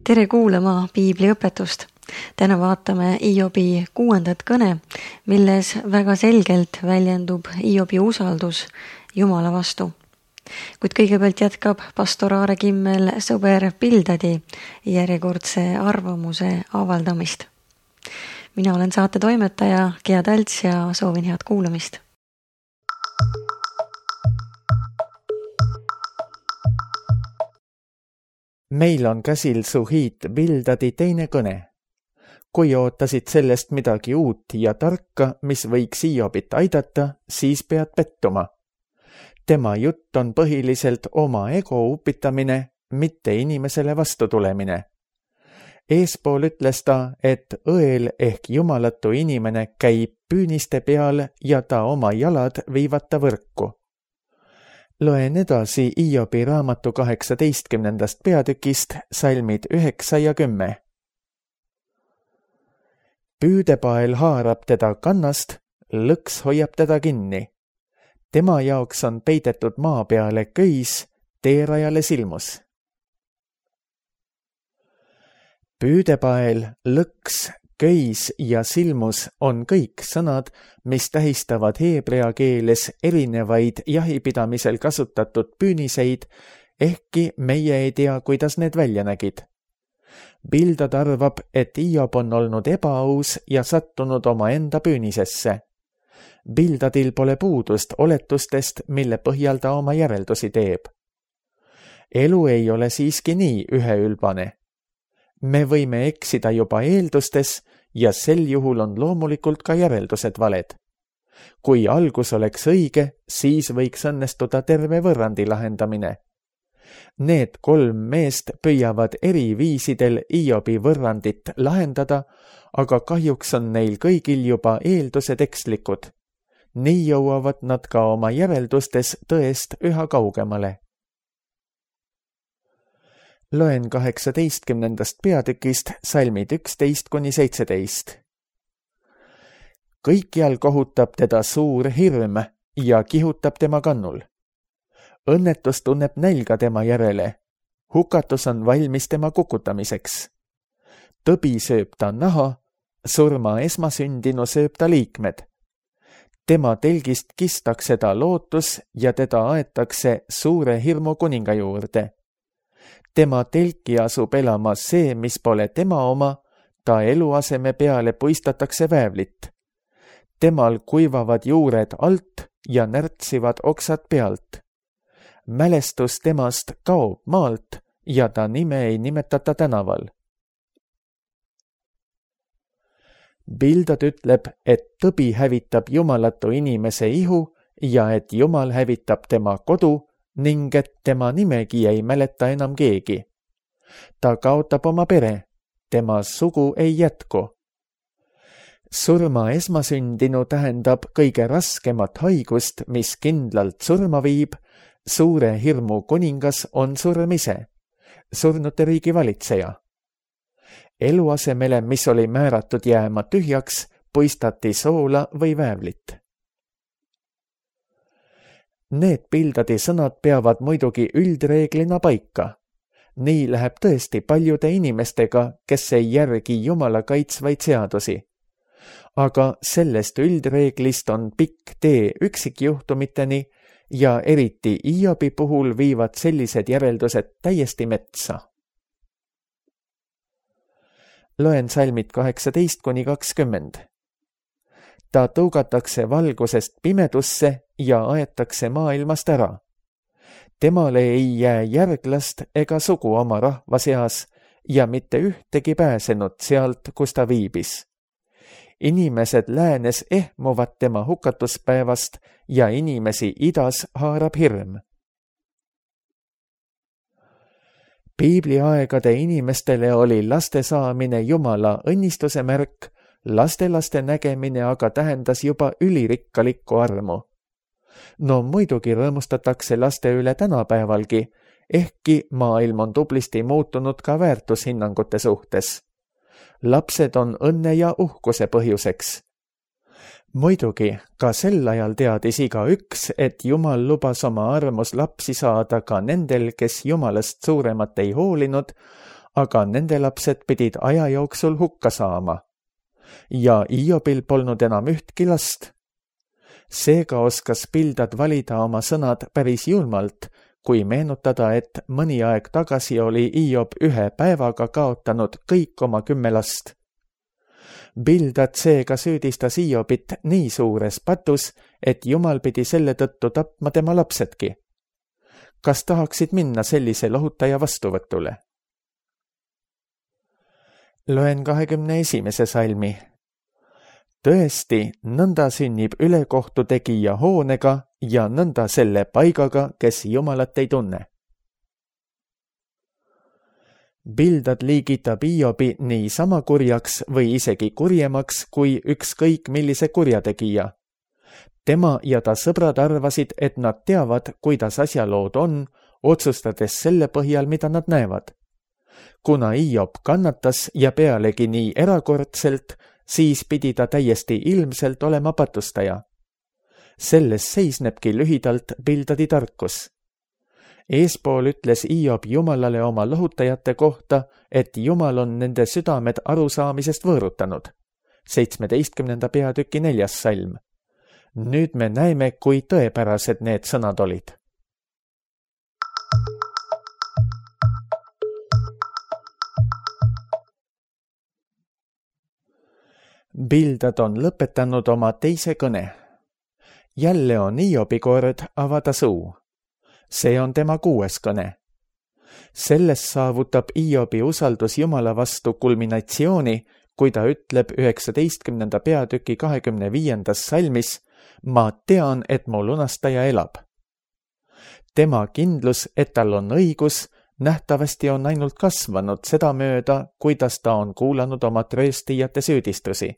Tere kuulama piibliõpetust. Täna vaatame Hiobi 6. kõne, milles väga selgelt väljendub Hiobi usaldus Jumala vastu. Kuid kõigepealt jätkab pastor Aare Kimmel sõber Bildadi järjekordse arvamuse avaldamist. Mina olen saate toimetaja Gea Talts ja soovin head kuulamist. Meil on käsil Suhit Bildadi teine kõne. Kui ootasid sellest midagi uut ja tarka, mis võiks Hiobit aidata, siis pead pettuma. Tema jutt on põhiliselt oma ego upitamine, mitte inimesele vastu tulemine. Eespool ütles ta, et õel ehk jumalatu inimene käib püüniste peal ja ta oma jalad viivad ta võrku. Loen edasi Hiobi raamatu 18. peatükist salmid 9 ja 10. Püüdepael haarab teda kannast, lõks hoiab teda kinni. Tema jaoks on peidetud maa peale köis, teerajale silmus. Püüdepael, lõks, köis ja silmus on kõik sõnad, mis tähistavad heebrea keeles erinevaid jahipidamisel kasutatud püüniseid, ehkki meie ei tea, kuidas need välja nägid. Bildad arvab, et Hiob on olnud ebaaus ja sattunud oma enda püünisesse. Bildadil pole puudust oletustest, mille põhjal ta oma järeldusi teeb. Elu ei ole siiski nii üheülbane. Me võime eksida juba eeldustes ja sel juhul on loomulikult ka järeldused valed. Kui algus oleks õige, siis võiks õnnestuda terve võrrandi lahendamine. Need 3 meest püüavad eri viisidel Hiobi võrrandit lahendada, aga kahjuks on neil kõigil juba eeldused ekslikud. Nii jõuavad nad ka oma järeldustes tõest üha kaugemale. Loen 18. peatükist salmid 11–17. Kõikjal kohutab teda suur hirm ja kihutab tema kannul. Õnnetus tunneb nälga tema järele. Hukatus on valmis tema kukutamiseks. Tõbi sööb ta naha, surma esmasündinu sööb ta liikmed. Tema telgist kistakse ta lootus ja teda aetakse suure hirmu kuninga juurde. Tema telki asub elama see, mis pole tema oma, ta eluaseme peale puistatakse väävlit. Temal kuivavad juured alt ja närtsivad oksad pealt. Mälestus temast kaob maalt ja ta nime ei nimetata tänaval. Bildad ütleb, et tõbi hävitab jumalatu inimese ihu ja et Jumal hävitab tema kodu, ning et tema nimegi ei mäleta enam keegi. Ta kaotab oma pere, tema sugu ei jätku. Surma esmasündinu tähendab kõige raskemat haigust, mis kindlalt surma viib. Suure hirmu kuningas on surm ise, surnute riigi valitseja. Eluasemele, mis oli määratud jääma tühjaks, puistati soola või väävlit. Need Bildadi sõnad peavad muidugi üldreeglina paika. Nii läheb tõesti paljude inimestega, kes ei järgi Jumala kaitsvaid seadusi. Aga sellest üldreeglist on pikk tee üksikjuhtumiteni ja eriti Hiobi puhul viivad sellised järeldused täiesti metsa. Loen salmid 18–20. Ta tõugatakse valgusest pimedusse ja aetakse maailmast ära. Temale ei jää järglast ega sugu oma rahva seas ja mitte ühtegi pääsenud sealt, kus ta viibis. Inimesed läänes ehmuvad tema hukatuspäevast ja inimesi idas haarab hirm. Piibliaegade inimestele oli laste saamine Jumala õnnistuse märk, lastelaste nägemine aga tähendas juba ülirikkalikku armu. No muidugi rõõmustatakse laste üle tänapäevalgi, ehkki maailm on tublisti muutunud ka väärtushinnangute suhtes. Lapsed on õnne ja uhkuse põhjuseks. Muidugi, ka sel ajal teadis igaüks, et Jumal lubas oma armus lapsi saada ka nendel, kes Jumalast suuremat ei hoolinud, aga nende lapsed pidid aja jooksul hukka saama. Ja Iobil polnud enam ühtki last. Seega oskas Bildad valida oma sõnad päris julmalt, kui meenutada, et mõni aeg tagasi oli Iob 1 päevaga kaotanud kõik oma 10 last. Bildad seega süüdistas Iobit nii suures patus, et Jumal pidi selle tõttu tapma tema lapsedki. Kas tahaksid minna sellise lohutaja vastuvõtule? Loen 21. salmi. Tõesti, nõnda sünnib ülekohtu tegija hoonega ja nõnda selle paigaga, kes Jumalat ei tunne. Bildad liigitab Iobi nii sama kurjaks või isegi kurjemaks kui ükskõik millise kurjategija. Tema ja ta sõbrad arvasid, et nad teavad, kuidas asjalood on, otsustades selle põhjal, mida nad näevad. Kuna Iob kannatas ja pealegi nii erakordselt, siis pidi ta täiesti ilmselt olema patustaja. Selles seisnebki lühidalt Bildadi tarkus. Eespool ütles Iob Jumalale oma lohutajate kohta, et Jumal on nende südamed arusaamisest võõrutanud. 17. peatüki 4. salm. Nüüd me näeme, kui tõepärased need sõnad olid. Bildad on lõpetanud oma teise kõne. Jälle on Iobi kord avada suu. See on tema 6. kõne. Selles saavutab Iobi usaldus Jumala vastu kulminatsiooni, kui ta ütleb 19. peatüki 25. salmis: ma tean, et mu lunastaja elab. Tema kindlus, et tal on õigus, nähtavasti on ainult kasvanud sedamööda, kuidas ta on kuulanud oma trööstijate süüdistusi.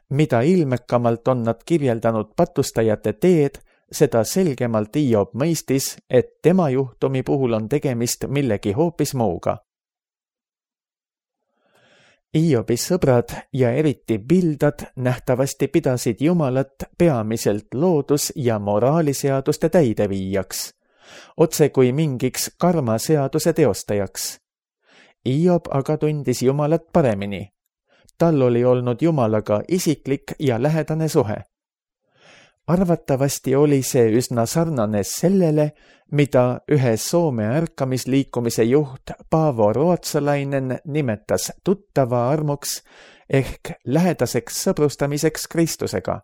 Mida ilmekamalt on nad kirjeldanud patustajate teed, seda selgemalt Iob mõistis, et tema juhtumi puhul on tegemist millegi hoopis muuga. Iobi sõbrad ja eriti Bildad nähtavasti pidasid Jumalat peamiselt loodus- ja moraaliseaduste täideviijaks, otse kui mingiks karmaseaduse teostajaks. Iob aga tundis Jumalat paremini. Tal oli olnud Jumalaga isiklik ja lähedane suhe. Arvatavasti oli see üsna sarnane sellele, mida ühe Soome ärkamisliikumise juht Paavo Ruotsalainen nimetas tuttava armuks ehk lähedaseks sõbrustamiseks Kristusega.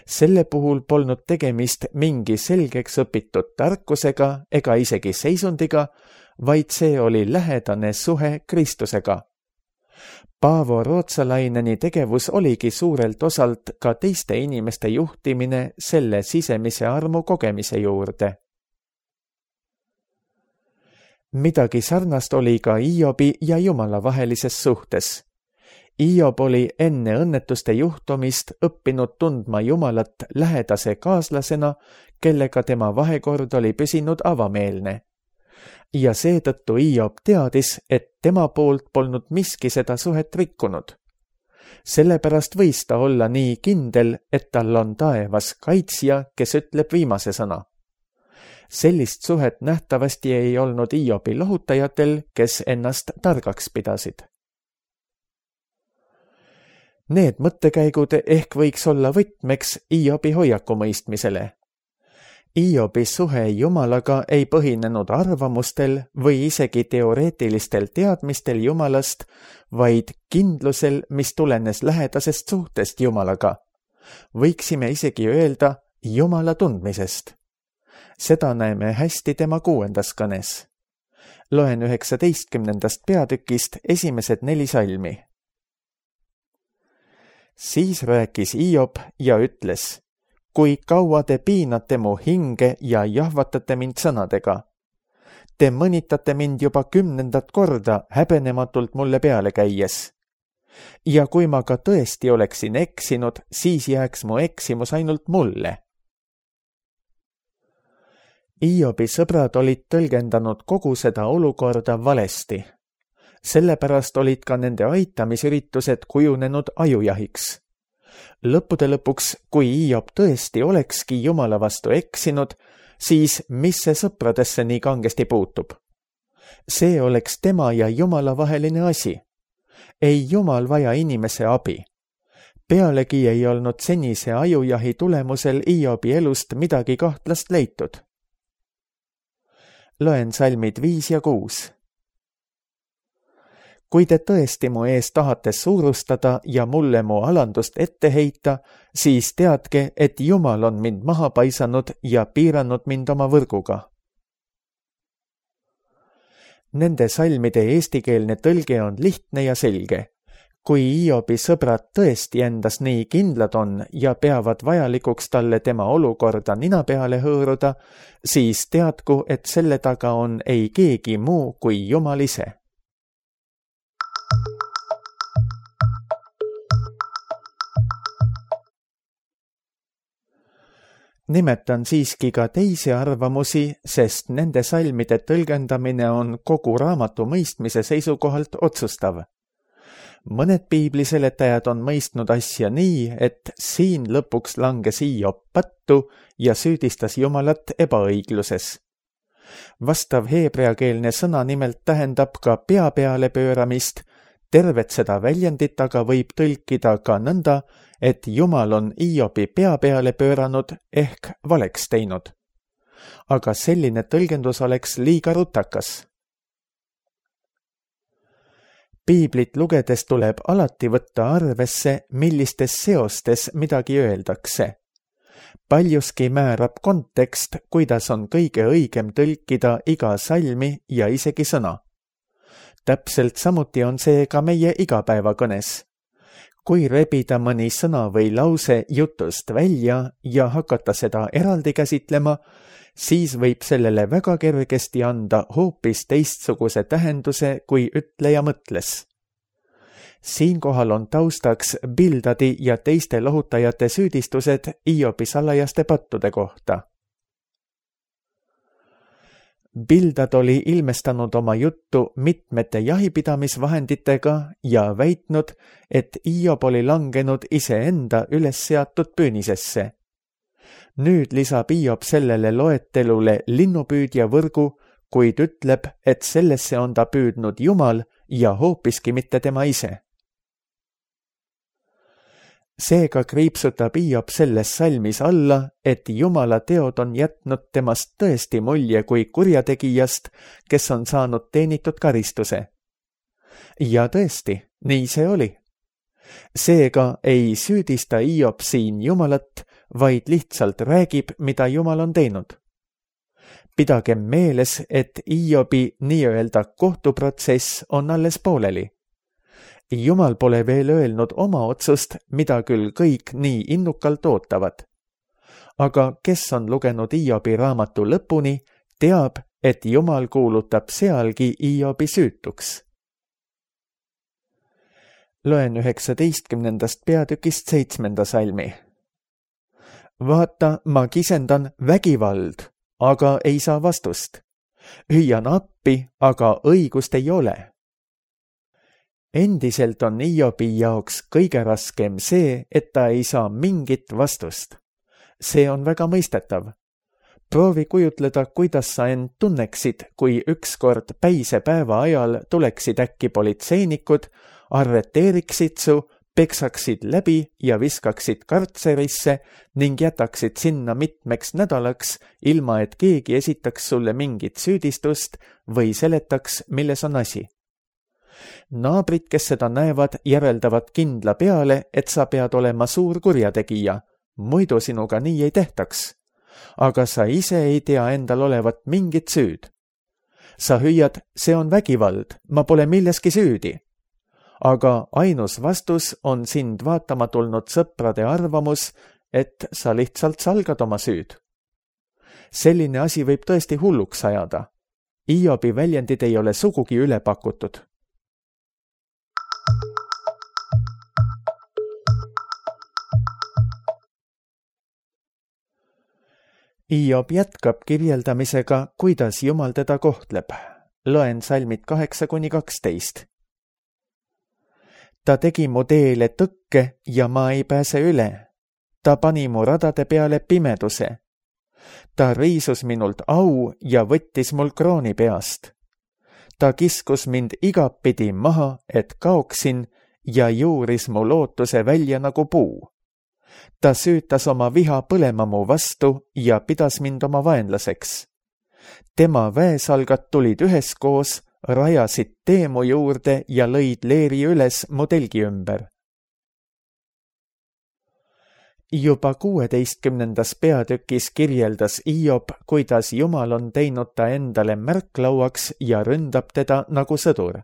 Selle puhul polnud tegemist mingi selgeks õpitud tarkusega ega isegi seisundiga, vaid see oli lähedane suhe Kristusega. Paavo Ruotsalaineni tegevus oligi suurelt osalt ka teiste inimeste juhtimine selle sisemise armu kogemise juurde. Midagi sarnast oli ka Iobi ja Jumala vahelises suhtes. Iob oli enne õnnetuste juhtumist õppinud tundma Jumalat lähedase kaaslasena, kellega tema vahekord oli püsinud avameelne. Ja seetõttu Iob teadis, et tema poolt polnud miski seda suhet rikkunud. Sellepärast võis ta olla nii kindel, et tal on taevas kaitsja, kes ütleb viimase sõna. Sellist suhet nähtavasti ei olnud Iobi lohutajatel, kes ennast targaks pidasid. Need mõttekäigud ehk võiks olla võtmeks Iobi hoiaku mõistmisele. Iobi suhe Jumalaga ei põhinenud arvamustel või isegi teoreetilistel teadmistel Jumalast, vaid kindlusel, mis tulenes lähedasest suhtest Jumalaga. Võiksime isegi öelda Jumala tundmisest. Seda näeme hästi tema 6. kõnes. Loen 19. peatükist esimesed 4 salmi. Siis rääkis Iob ja ütles: kui kaua te piinate mu hinge ja jahvatate mind sõnadega? Te mõnitate mind juba 10. korda häbenematult mulle peale käies. Ja kui ma ka tõesti oleksin eksinud, siis jääks mu eksimus ainult mulle. Iobi sõbrad olid tõlgendanud kogu seda olukorda valesti. Sellepärast olid ka nende aitamisüritused kujunenud ajujahiks. Lõppude lõpuks, kui Iob tõesti olekski Jumala vastu eksinud, siis mis see sõpradesse nii kangesti puutub? See oleks tema ja Jumala vaheline asi. Ei Jumal vaja inimese abi. Pealegi ei olnud senise ajujahi tulemusel Hiobi elust midagi kahtlast leitud. Loen salmid 5 ja 6. Kui te tõesti mu ees tahate suurustada ja mulle mu alandust ette heita, siis teadke, et Jumal on mind maha paisanud ja piiranud mind oma võrguga. Nende salmide eestikeelne tõlge on lihtne ja selge. Kui Hiobi sõbrad tõesti endas nii kindlad on ja peavad vajalikuks talle tema olukorda nina peale hõõruda, siis teadku, et selle taga on ei keegi muu kui Jumal ise. Nimetan siiski ka teisi arvamusi, sest nende salmide tõlgendamine on kogu raamatu mõistmise seisukohalt otsustav. Mõned piibliseletajad on mõistnud asja nii, et siin lõpuks langes Hiob pattu ja süüdistas Jumalat ebaõigluses. Vastav heebreakeelne sõna nimelt tähendab ka pea peale pööramist. Tervet seda väljendit aga võib tõlkida ka nõnda, et Jumal on Hiobi pea peale pööranud ehk valeks teinud. Aga selline tõlgendus oleks liiga rutakas. Piiblit lugedes tuleb alati võtta arvesse, millistes seostes midagi öeldakse. Paljuski määrab kontekst, kuidas on kõige õigem tõlkida iga salmi ja isegi sõna. Täpselt samuti on see ka meie igapäevakõnes. Kui rebida mõni sõna või lause jutust välja ja hakata seda eraldi käsitlema, siis võib sellele väga kergesti anda hoopis teistsuguse tähenduse, kui ütleja mõtles. Siinkohal on taustaks Bildadi ja teiste lohutajate süüdistused Hiobi salajaste pattude kohta. Bildad oli ilmestanud oma juttu mitmete jahipidamisvahenditega ja väitnud, et Hiob oli langenud iseenda üles seatud püünisesse. Nüüd lisab Hiob sellele loetelule linnupüüdja võrgu, kuid ütleb, et sellesse on ta püüdnud Jumal ja hoopiski mitte tema ise. Seega kriipsutab Hiob selles salmis alla, et Jumala teod on jätnud temast tõesti mulje kui kurjategijast, kes on saanud teenitud karistuse. Ja tõesti, nii see oli. Seega ei süüdista Hiob siin Jumalat, vaid lihtsalt räägib, mida Jumal on teinud. Pidagem meeles, et Hiobi nii-öelda kohtuprotsess on alles pooleli. Jumal pole veel öelnud oma otsust, mida küll kõik nii innukalt ootavad. Aga kes on lugenud Hiobi raamatu lõpuni, teab, et Jumal kuulutab sealgi Hiobi süütuks. Loen 19. peatükist 7. salmi. Vaata, ma kisendan vägivald, aga ei saa vastust. Hüüan appi, aga õigust ei ole. Endiselt on Hiobi jaoks kõige raskem see, et ta ei saa mingit vastust. See on väga mõistetav. Proovi kujutleda, kuidas sa end tunneksid, kui ükskord päisepäeva ajal tuleksid äkki politseinikud, arreteeriksid su, peksaksid läbi ja viskaksid kartserisse ning jätaksid sinna mitmeks nädalaks, ilma et keegi esitaks sulle mingit süüdistust või seletaks, milles on asi. Naabrid, kes seda näevad, järeldavad kindla peale, et sa pead olema suur kurjategija, muidu sinuga nii ei tehtaks. Aga sa ise ei tea endal olevat mingit süüd. Sa hüüad, see on vägivald, ma pole milleski süüdi. Aga ainus vastus on sind vaatama tulnud sõprade arvamus, et sa lihtsalt salgad oma süüd. Selline asi võib tõesti hulluks ajada. Hiobi väljendid ei ole sugugi üle pakutud. Hiob jätkab kirjeldamisega, kuidas Jumal teda kohtleb. Loen salmid 8-12. Ta tegi mu teele tõkke ja ma ei pääse üle. Ta pani mu radade peale pimeduse. Ta riisus minult au ja võttis mul krooni peast. Ta kiskus mind igapidi maha, et kaoksin, ja juuris mu lootuse välja nagu puu. Ta süütas oma viha põlema mu vastu ja pidas mind oma vaenlaseks. Tema väesalgad tulid üheskoos, rajasid tee mu juurde ja lõid leeri üles mu telgi ümber. Juba 16. peatükis kirjeldas Hiob, kuidas Jumal on teinud ta endale märklauaks ja ründab teda nagu sõdur.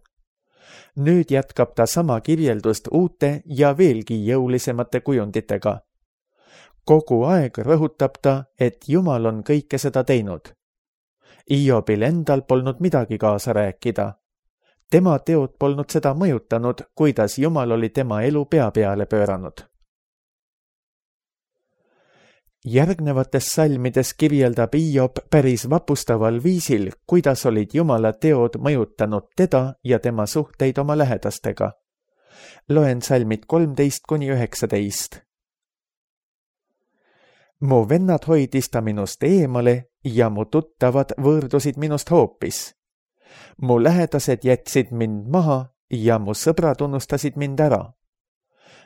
Nüüd jätkab ta sama kirjeldust uute ja veelgi jõulisemate kujunditega. Kogu aeg rõhutab ta, et Jumal on kõike seda teinud. Hiobil endal polnud midagi kaasa rääkida. Tema teod polnud seda mõjutanud, kuidas Jumal oli tema elu pea peale pööranud. Järgnevates salmides kirjeldab Hiob päris vapustaval viisil, kuidas olid Jumala teod mõjutanud teda ja tema suhteid oma lähedastega. Loen salmid 13-19. Mu vennad hoidis ta minust eemale ja mu tuttavad võõrdusid minust hoopis. Mu lähedased jätsid mind maha ja mu sõbrad unustasid mind ära.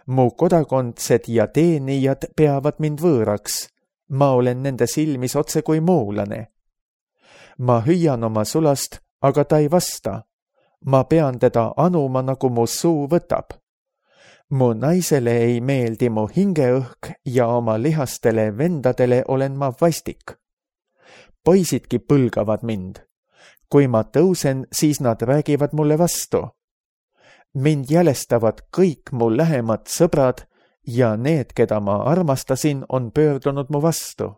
Mu kodakondsed ja teenijad peavad mind võõraks. Ma olen nende silmis otse kui muulane. Ma hüüan oma sulast, aga ta ei vasta. Ma pean teda anuma, nagu mu suu võtab. Mu naisele ei meeldi mu hingeõhk ja oma lihastele vendadele olen ma vastik. Poisidki põlgavad mind. Kui ma tõusen, siis nad räägivad mulle vastu. Mind jälestavad kõik mu lähemad sõbrad ja need, keda ma armastasin, on pöördunud mu vastu.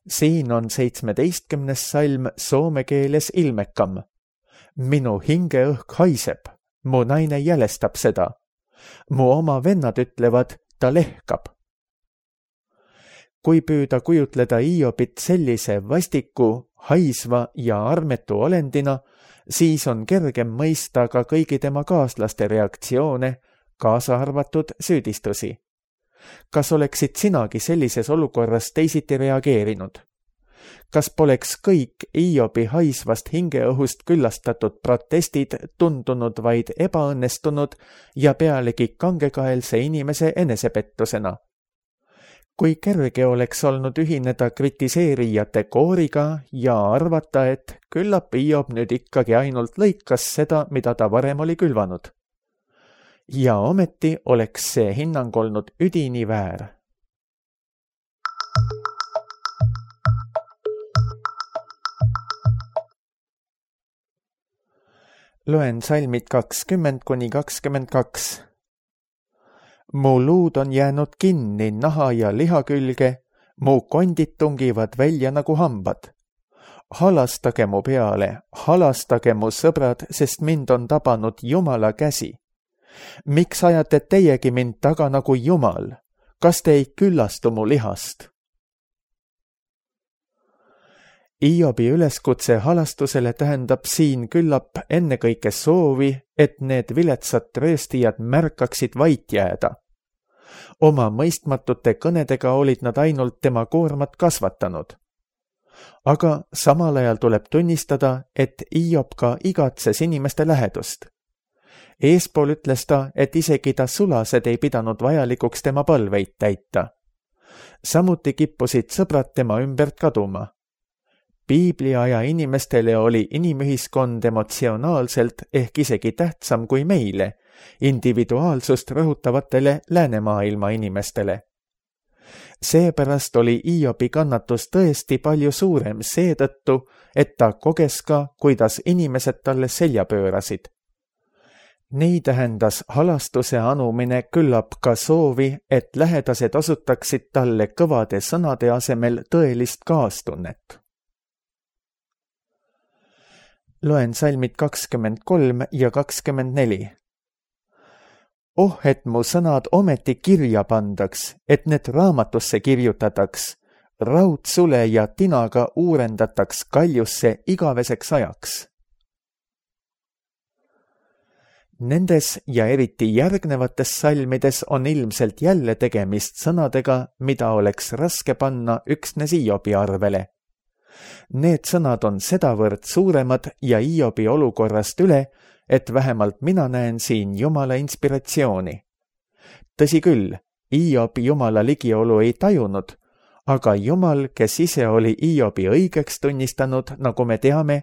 Siin on 17. salm soome keeles ilmekam. Minu hingeõhk haiseb, mu naine jälestab seda. Mu oma vennad ütlevad, ta lehkab. Kui püüda kujutleda Hiobit sellise vastiku, haisva ja armetu olendina, siis on kergem mõista ka kõigi tema kaaslaste reaktsioone, kaasa arvatud süüdistusi. Kas oleksid sinagi sellises olukorras teisiti reageerinud? Kas poleks kõik Hiobi haisvast hingeõhust küllastatud protestid tundunud vaid ebaõnnestunud ja pealegi kangekaelse inimese enesepettusena? Kui kerge oleks olnud ühineda kritiseerijate kooriga ja arvata, et küllap Hiob nüüd ikkagi ainult lõikas seda, mida ta varem oli külvanud. Ja ometi oleks see hinnang olnud üdini väär. Loen salmid 20-22. Mu luud on jäänud kinni naha ja liha külge, mu kondid tungivad välja nagu hambad. Halastage mu peale, halastage mu sõbrad, sest mind on tabanud Jumala käsi. Miks ajate teiegi mind taga nagu Jumal? Kas te ei küllastu mu lihast? Hiobi üleskutse halastusele tähendab siin küllap ennekõike soovi, et need viletsad rööstijad märkaksid vait jääda. Oma mõistmatute kõnedega olid nad ainult tema koormat kasvatanud. Aga samal ajal tuleb tunnistada, et Hiob ka igatses inimeste lähedust. Eespool ütles ta, et isegi ta sulased ei pidanud vajalikuks tema palveid täita. Samuti kippusid sõbrad tema ümbert kaduma. Piibliaja inimestele oli inimühiskond emotsionaalselt ehk isegi tähtsam kui meile, individuaalsust rõhutavatele läänemaailma inimestele. Seepärast oli Hiobi kannatus tõesti palju suurem seetõttu, et ta koges ka, kuidas inimesed talle selja pöörasid. Nii tähendas halastuse anumine küllap ka soovi, et lähedased osutaksid talle kõvade sõnade asemel tõelist kaastunnet. Loen salmid 23 ja 24. Oh, et mu sõnad ometi kirja pandaks, et need raamatusse kirjutataks, raudsule ja tinaga uurendataks kaljusse igaveseks ajaks. Nendes ja eriti järgnevates salmides on ilmselt jälle tegemist sõnadega, mida oleks raske panna üksnes Hiobi arvele. Need sõnad on sedavõrd suuremad ja Hiobi olukorrast üle, et vähemalt mina näen siin Jumala inspiratsiooni. Tõsi küll, Hiob Jumala ligiolu ei tajunud, aga Jumal, kes ise oli Hiobi õigeks tunnistanud, nagu me teame,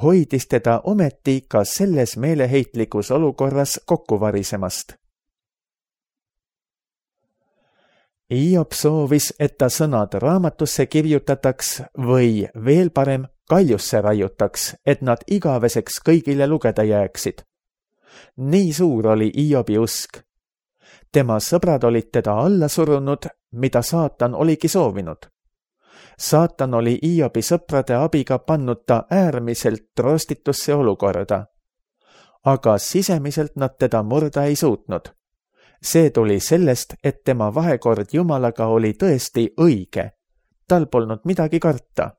hoidis teda ometi ka selles meeleheitlikus olukorras kokku varisemast. Hiob soovis, et ta sõnad raamatusse kirjutataks või veel parem kaljusse raiutaks, et nad igaveseks kõigile lugeda jääksid. Nii suur oli Hiobi usk. Tema sõbrad olid teda alla surunud, mida saatan oligi soovinud. Saatan oli Hiobi sõprade abiga pannud ta äärmiselt rostitusse olukorda. Aga sisemiselt nad teda murda ei suutnud. See tuli sellest, et tema vahekord Jumalaga oli tõesti õige. Tal polnud midagi karta.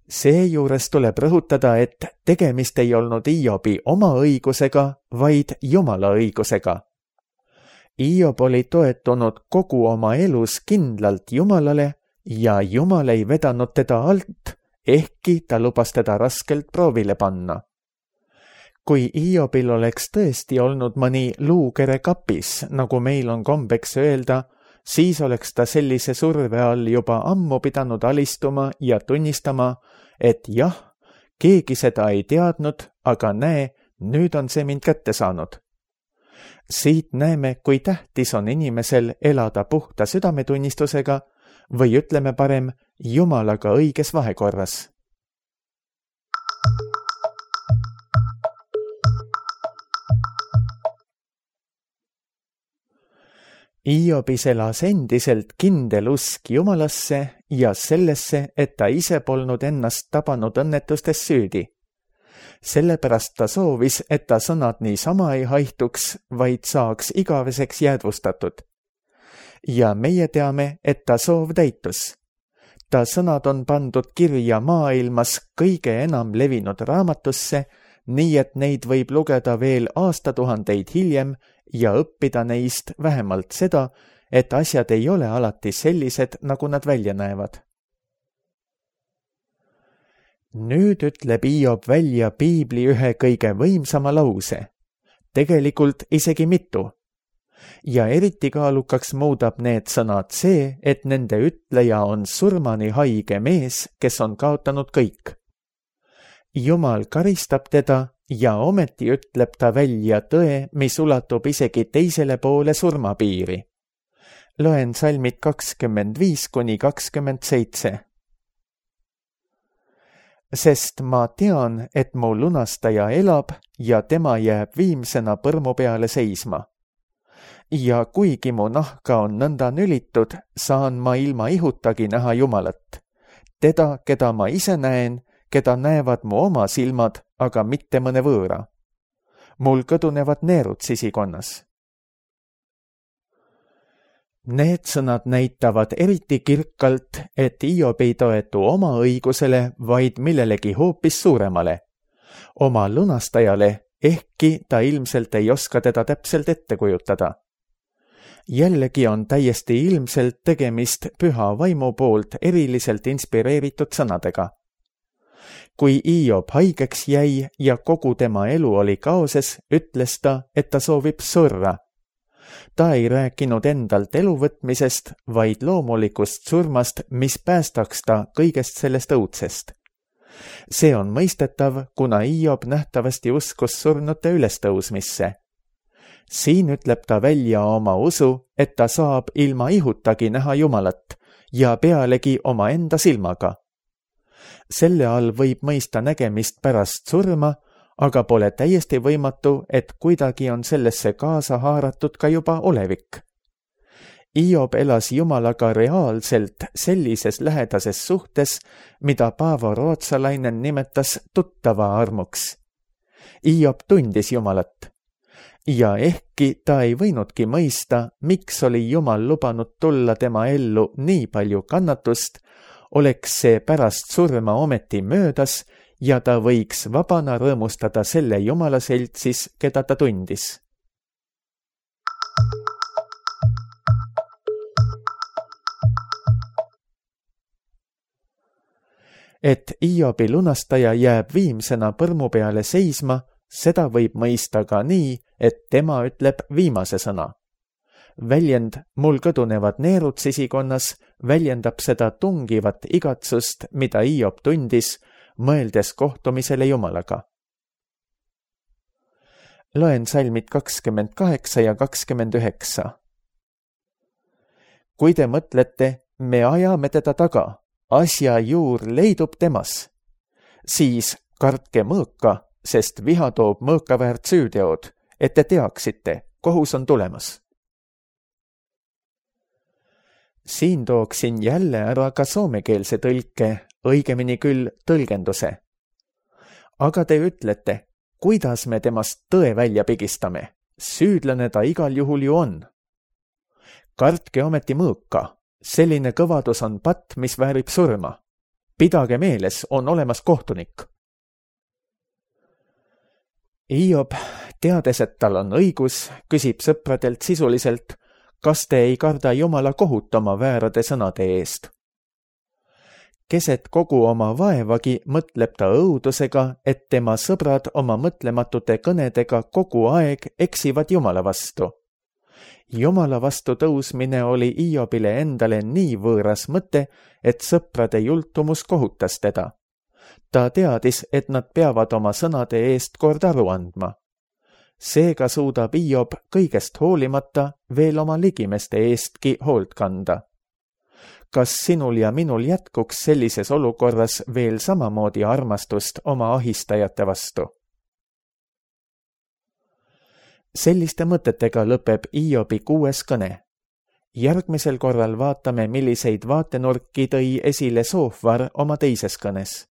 Seejuures tuleb rõhutada, et tegemist ei olnud Hiobi oma õigusega, vaid Jumala õigusega. Hiob oli toetunud kogu oma elus kindlalt Jumalale ja Jumal ei vedanud teda alt, ehkki ta lubas teda raskelt proovile panna. Kui Hiobil oleks tõesti olnud mõni luukere kapis, nagu meil on kombeks öelda, siis oleks ta sellise surve all juba ammu pidanud alistuma ja tunnistama, et jah, keegi seda ei teadnud, aga näe, nüüd on see mind kätte saanud. Siit näeme, kui tähtis on inimesel elada puhta südametunnistusega või ütleme parem Jumalaga õiges vahekorras. Hiobis elas endiselt kindel usk Jumalasse ja sellesse, et ta ise polnud ennast tabanud õnnetustes süüdi. Sellepärast ta soovis, et ta sõnad niisama ei haihtuks, vaid saaks igaveseks jäädvustatud. Ja meie teame, et ta soov täitus. Ta sõnad on pandud kirja maailmas kõige enam levinud raamatusse, nii et neid võib lugeda veel aastatuhandeid hiljem ja õppida neist vähemalt seda, et asjad ei ole alati sellised, nagu nad välja näevad. Nüüd ütleb Hiob välja piibli ühe kõige võimsama lause, tegelikult isegi mitu. Ja eriti kaalukaks muudab need sõnad see, et nende ütleja on surmani haige mees, kes on kaotanud kõik. Jumal karistab teda ja ometi ütleb ta välja tõe, mis ulatub isegi teisele poole surmapiiri. Loen salmid 25–27. Sest ma tean, et mu lunastaja elab ja tema jääb viimsena põrmu peale seisma. Ja kuigi mu nahka on nõnda nülitud, saan ma ilma ihutagi näha Jumalat. Teda, keda ma ise näen, keda näevad mu oma silmad, aga mitte mõne võõra. Mul kõdunevad neerud sisikonnas. Need sõnad näitavad eriti kirkalt, et Hiob ei toetu oma õigusele, vaid millelegi hoopis suuremale. Oma lunastajale, ehkki ta ilmselt ei oska teda täpselt ette kujutada. Jällegi on täiesti ilmselt tegemist püha vaimu poolt eriliselt inspireeritud sõnadega. Kui Hiob haigeks jäi ja kogu tema elu oli kaoses, ütles ta, et ta soovib surra. Ta ei rääkinud endalt eluvõtmisest, vaid loomulikust surmast, mis päästaks ta kõigest sellest õudsest. See on mõistetav, kuna Hiob nähtavasti uskus surnute ülestõusmisse. Siin ütleb ta välja oma usu, et ta saab ilma ihutagi näha Jumalat ja pealegi oma enda silmaga. Selle all võib mõista nägemist pärast surma, aga pole täiesti võimatu, et kuidagi on sellesse kaasa haaratud ka juba olevik. Hiob elas Jumalaga reaalselt sellises lähedases suhtes, mida Paavo rootsalainen nimetas tuttava armuks. Hiob tundis Jumalat. Ja ehkki ta ei võinudki mõista, miks oli Jumal lubanud tulla tema ellu nii palju kannatust, oleks see pärast surma ometi möödas ja ta võiks vabana rõõmustada selle Jumala seltsis, keda ta tundis. Et Hiobi lunastaja jääb viimsena põrmu peale seisma, seda võib mõista ka nii, et tema ütleb viimase sõna. Väljend mul kõdunevad neerud sisikonnas väljendab seda tungivat igatsust, mida Hiob tundis, mõeldes kohtumisele Jumalaga. Loen salmid 28 ja 29. Kui te mõtlete, me ajame teda taga, asja juur leidub temas, siis kartke mõõka, sest viha toob mõõkaväärt süüteod, et te teaksite, kohus on tulemas. Siin tooksin jälle ära ka soomekeelse tõlke, õigemini küll tõlgenduse. Aga te ütlete, kuidas me temast tõe välja pigistame? Süüdlane ta igal juhul ju on. Kartke ometi mõõka, selline kõvadus on patt, mis väärib surma. Pidage meeles, on olemas kohtunik. Hiob, teades, et tal on õigus, küsib sõpradelt sisuliselt, kas te ei karda Jumala kohut oma väärade sõnade eest. Keset kogu oma vaevagi mõtleb ta õudusega, et tema sõbrad oma mõtlematute kõnedega kogu aeg eksivad Jumala vastu. Jumala vastu tõusmine oli Hiobile endale nii võõras mõte, et sõprade jultumus kohutas teda. Ta teadis, et nad peavad oma sõnade eest kord aru andma. Seega suudab Hiob kõigest hoolimata veel oma ligimeste eestki hoolt kanda. Kas sinul ja minul jätkuks sellises olukorras veel samamoodi armastust oma ahistajate vastu? Selliste mõtetega lõpeb Hiobi 6. kõne. Järgmisel korral vaatame, milliseid vaatenurki tõi esile Soofvar oma 2. kõnes.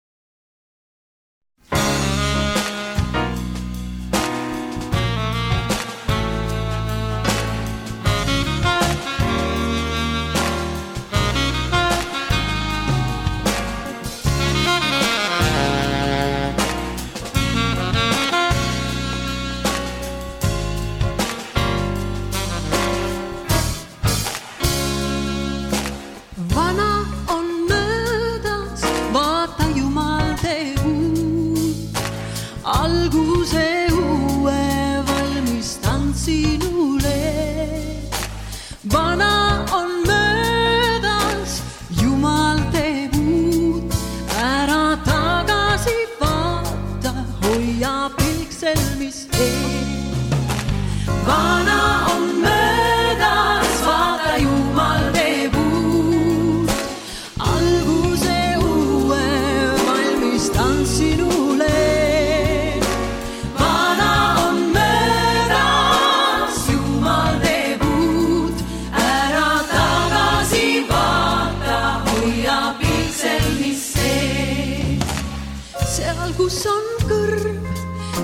Kus on kõrv,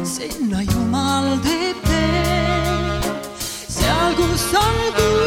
sinna Jumal teeb tee. Seal, kus on